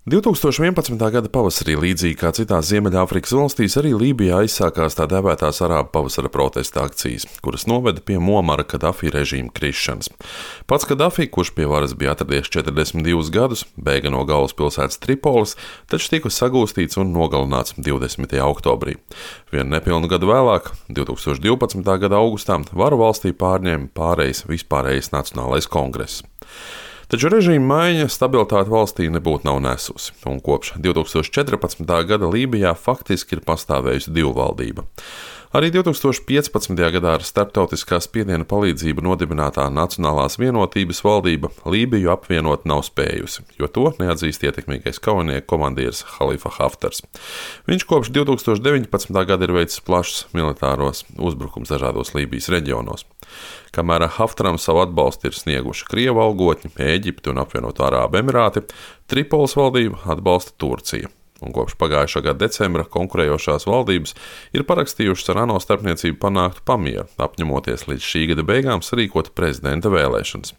2011. gada pavasarī, līdzīgi kā citās Ziemeļāfrikas valstīs, arī Lībijā aizsākās tā dēvētās arābu pavasara protesta akcijas, kuras noveda pie Muamara Kadafi režīma krišanas. Pats Kadafi, kurš pie varas bija atradies 42 gadus, bēga no galvaspilsētas Tripolis, taču tika sagūstīts un nogalināts 20. oktobrī. Vienu nepilnu gadu vēlāk, 2012. gada augustā, varu valstī pārņēma vispārējais Nacionālais kongress. Taču režīma maiņa stabilitāti valstī nebūtu nav nesusi, un kopš 2014. gada Lībijā faktiski ir pastāvējusi divu valdība. Arī 2015. gadā ar starptautiskā spiediena palīdzību nodibinātā Nacionālās vienotības valdība Lībiju apvienot nav spējusi, jo to neatzīst ietekmīgais kaujinieku komandieris Halifa Haftars. Viņš kopš 2019. gada ir veicis plašus militāros uzbrukums dažādos Lībijas reģionos. Kamēr Haftaram savu atbalstu ir snieguši Krievu algotņi, Ēģipte un apvienoto Arābu Emirāti, Tripolis valdību atbalsta Turcija. Un kopš pagājušā gada decembra konkurējošās valdības ir parakstījušas ar ANO starpniecību panāktu pamieru, apņemoties līdz šī gada beigām sarīkot prezidenta vēlēšanas.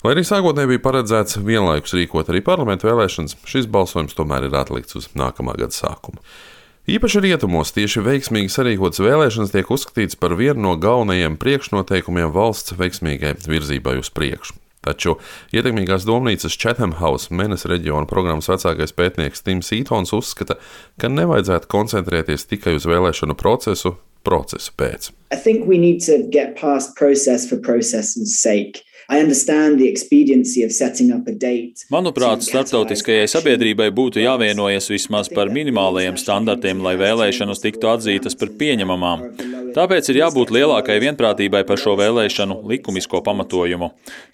Lai arī sākotnēji bija paredzēts vienlaikus rīkot arī parlamentu vēlēšanas, šis balsojums tomēr ir atlikts uz nākamā gada sākumu. Īpaši rietumos tieši veiksmīgi sarīkotas vēlēšanas tiek uzskatīts par vienu no galvenajiem priekšnoteikumiem valsts veiksmīgai virzībai uz priekšu. Taču ietekmīgās domnīcas Chatham House Menes reģiona programmas vecākais pētnieks Tims Eatons uzskata, ka nevajadzētu koncentrēties tikai uz vēlēšanu procesu pēc. I think we need to get past process for process's sake. I understand the expediency of setting up a date. Manuprāt, starptautiskajai sabiedrībai būtu jāvienojas vismaz par minimālajiem standartiem, lai vēlēšanas tiktu atzītas par pieņemamām. Tāpēc ir jābūt lielākai vienprātībai par šo vēlēšanu likumisko pamatojumu.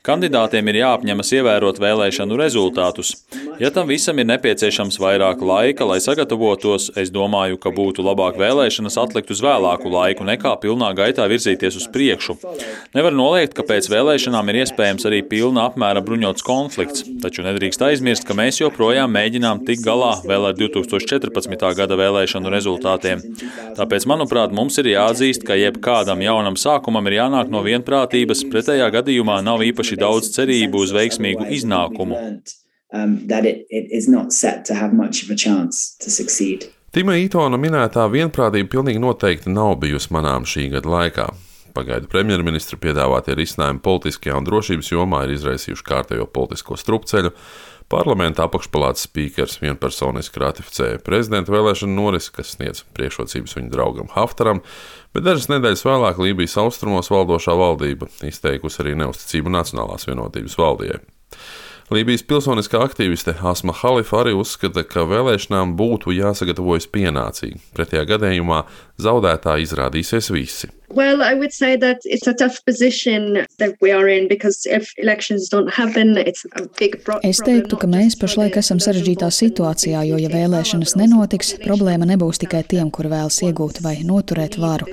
Kandidātiem ir jāapņemas ievērot vēlēšanu rezultātus. Ja tam visam ir nepieciešams vairāk laika, lai sagatavotos, es domāju, ka būtu labāk vēlēšanas atlikt uz vēlāku laiku, nekā pilnā gaitā virzīties uz priekšu. Nevar noliegt, ka pēc vēlēšanām ir iespējams arī pilna apmēra bruņots konflikts, taču nedrīkst aizmirst, ka mēs joprojām mēģinām tikt galā vēl ar 2014. gada vēlēšanu rezultātiem. Tāpēc, manuprāt, mums ir jāatzīst, ka jebkādam jaunam sākumam ir jānāk no vienprātības, pretējā gadījumā nav īpaši daudz cerību uz veiksmīgu iznākumu. Tima Eatona minētā vienprātība pilnīgi noteikti nav bijusi manām šī gada laikā. Pagaidu premjerministra piedāvātie risinājumi politiskajā un drošības jomā ir izraisījuši kārtējo politisko strupceļu. Parlamenta apakšpalātas spīkers vienpersoniski ratificēja prezidenta vēlēšanu norisi, kas sniedz priekšrocības viņa draugam Haftaram, bet dažas nedēļas vēlāk Lībijas austrumos valdošā valdība izteikusi arī neusticību Nacionālās vienotības valdijai. Lībijas pilsoniskā aktīviste Asma Halifa arī uzskata, ka vēlēšanām būtu jāsagatavojas pienācīgi. Pretējā gadījumā zaudētāji izrādīsies visi. Well, I would say that it's a tough position that we are in because if elections don't happen, it's a big problem. Es teiktu, ka mēs pašlaik esam sarežģītā situācijā, jo ja vēlēšanas nenotiks, problēma nebūs tikai tiem, kur vēlas iegūt vai noturēt varu.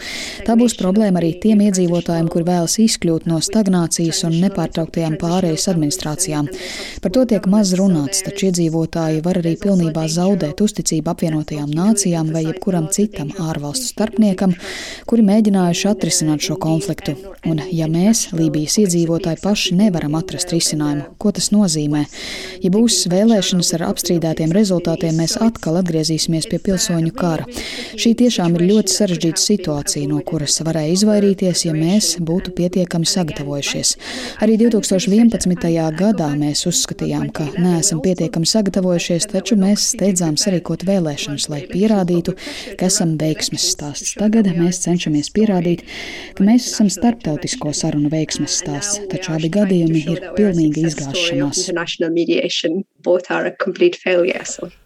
Tā būs problēma arī tiem iedzīvotājiem, kur vēlas izkļūt no stagnācijas un nepārtrauktajām pārējas administrācijām. Par to tiek maz runāts, taču iedzīvotāji var arī pilnībā zaudēt uzticību apvienotajām nācijām vai jebkuram citam ārvalstu starpniekam, kuri mēģinājuši atrisināt šo konfliktu. Un ja mēs, Lībijas iedzīvotāji, paši nevaram atrast risinājumu, ko tas nozīmē? Ja būs vēlēšanas ar apstrīdētiem rezultātiem, mēs atkal atgriezīsimies pie pilsoņu kara. Šī tiešām ir ļoti sarežģīta situācija, no kuras varēja izvairīties, ja mēs būtu pietiekami sagatavojušies. Arī 2011. gadā mēs uzskatījām, ka neesam pietiekami sagatavojušies, taču mēs steidzām sarīkot vēlēšanas, lai pierādītu, ka esam veiksmes stāsts. Tagad mēs cenšamies pierādīt, ka mēs esam starptautisko sarunu veiksmes stāsts, taču abi gadījumi ir pilnīga izgāšanās.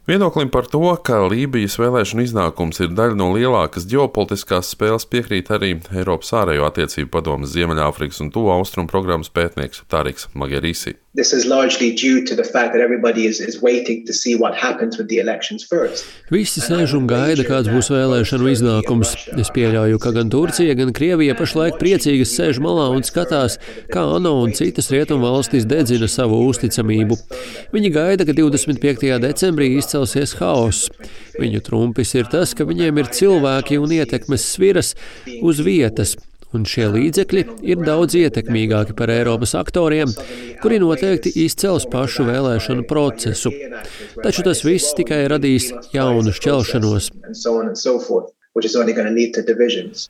Viedoklim par to, ka Lībijas vēlēšanu iznākums ir daļa no lielākas ģeopolitiskās spēles, piekrīt arī Eiropas ārējo attiecību padomes Ziemeļāfrikas un Tuvu Austrumu programmas pētnieks Tariks Magerisi. Visi sēž un gaida, kāds būs vēlēšanu iznākums. Es pieļauju, ka gan Turcija, gan Krievija pašlaik priecīgas sēž malā un skatās, kā ANO un citas rietumu valstis dedzina savu uzticamību. Viņi gaida, ka 25. decembrī izcelsies haoss. Viņu trumpis ir tas, ka viņiem ir cilvēki un ietekmes sviras uz vietas, un šie līdzekļi ir daudz ietekmīgāki par Eiropas aktoriem, kuri noteikti izcels pašu vēlēšanu procesu. Taču tas viss tikai radīs jaunu šķelšanos.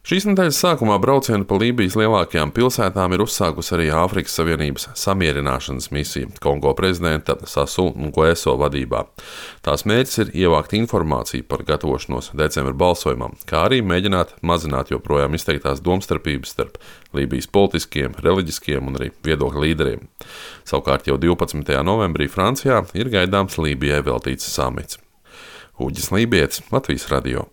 Šīs nedēļas sākumā braucienu pa Lībijas lielākajām pilsētām ir uzsākusi arī Āfrikas Savienības samierināšanas misija Kongo prezidenta Sassou Nguesso vadībā. Tās mērķis ir ievākt informāciju par gatavošanos decembra balsojumam, kā arī mēģināt mazināt joprojām izteiktās domstarpības starp Lībijas politiskiem, reliģiskiem un arī viedokļu līderiem. Savukārt jau 12. novembrī Francijā ir gaidāms Lībijai veltīts samits. Uģis Lībietis, Latvijas radio.